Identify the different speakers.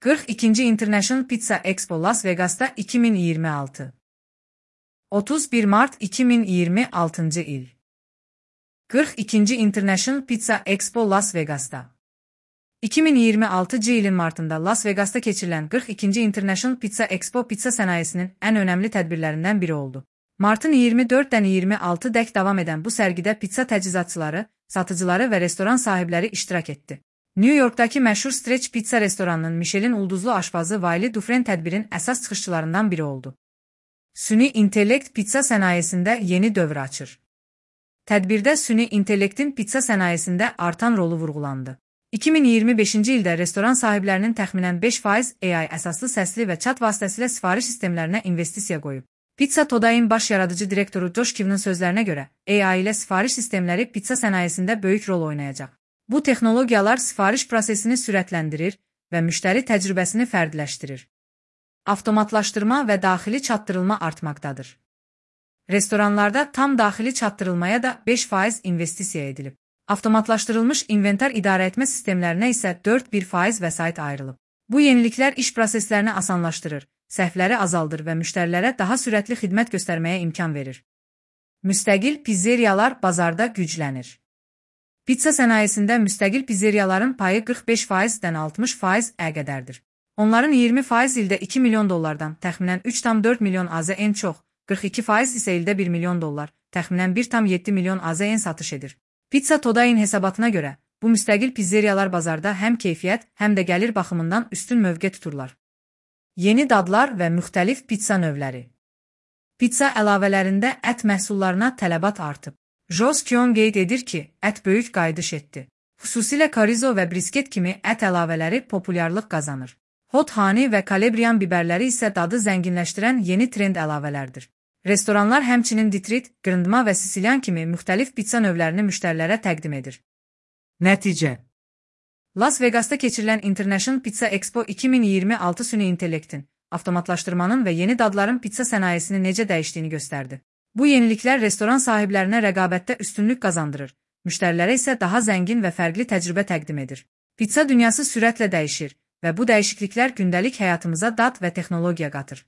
Speaker 1: 42. International Pizza Expo Las Vegas'ta 2026. 31 Mart 2026 il. 42. International Pizza Expo Las Vegas'ta. 2026 ilin martında Las Vegas'ta keçirilən 42. International Pizza Expo pizza sənayesinin ən önəmli tədbirlərindən biri oldu. Martın 24-dən 26-dək davam edən bu sərgidə pizza təchizatçıları, satıcıları və restoran sahibləri iştirak etdi. New Yorkdakı məşhur Stretch Pizza restoranının Michelin ulduzlu aşpazı Wylie Dufresne tədbirin əsas çıxışçılarından biri oldu. Süni intellekt pizza sənayesində yeni dövr açır. Tədbirdə süni intellektin pizza sənayesində artan rolu vurğulandı. 2025-ci ildə restoran sahiblərinin təxminən 5% AI əsaslı səsli və chat vasitəsilə sifariş sistemlərinə investisiya qoyub. Pizza Today'ın baş yaradıcı direktoru Josh Kiv'nin sözlərinə görə, AI ilə sifariş sistemləri pizza sənayesində böyük rol oynayacaq. Bu texnologiyalar sifariş prosesini sürətləndirir və müştəri təcrübəsini fərdiləşdirir. Avtomatlaşdırma və daxili çatdırılma artmaqdadır. Restoranlarda tam daxili çatdırılmaya da 5% investisiya edilib. Avtomatlaşdırılmış inventar idarəetmə sistemlərinə isə 4% vəsait ayrılıb. Bu yeniliklər iş proseslərini asanlaşdırır, səhvləri azaldır və müştərilərə daha sürətli xidmət göstərməyə imkan verir. Müstəqil pizzeriyalar bazarda güclənir. Pizza sənayesində müstəqil pizzeriyaların payı 45%-dən 60%-ə qədərdir. Onların 20% ildə $2 milyon, təxminən 3,4 milyon AZN çox, 42% isə ildə $1 milyon, təxminən 1,7 milyon AZN satış edir. Pizza Today'ın hesabatına görə, bu müstəqil pizzeriyalar bazarda həm keyfiyyət, həm də gəlir baxımından üstün mövqe tuturlar. Yeni dadlar və müxtəlif pizza növləri. Pizza əlavələrində ət məhsullarına tələbat artıb. Josh Kion qeyd edir ki, ət böyük qayıdış etdi. Xüsusilə chorizo və brisket kimi ət əlavələri populyarlıq qazanır. Hot honey və kalabriyan bibərləri isə dadı zənginləşdirən yeni trend əlavələrdir. Restoranlar həmçinin Detroit, qırındıma və Sicilyan kimi müxtəlif pizza növlərini müştərilərə təqdim edir.
Speaker 2: Nəticə:
Speaker 1: Las Vegas'ta keçirilən International Pizza Expo 2026 süni intellektin, avtomatlaşdırmanın və yeni dadların pizza sənayesini necə dəyişdiyini göstərdi. Bu yeniliklər restoran sahiblərinə rəqabətdə üstünlük qazandırır, müştərilərə isə daha zəngin və fərqli təcrübə təqdim edir. Pizza dünyası sürətlə dəyişir və bu dəyişikliklər gündəlik həyatımıza dad və texnologiya qatır.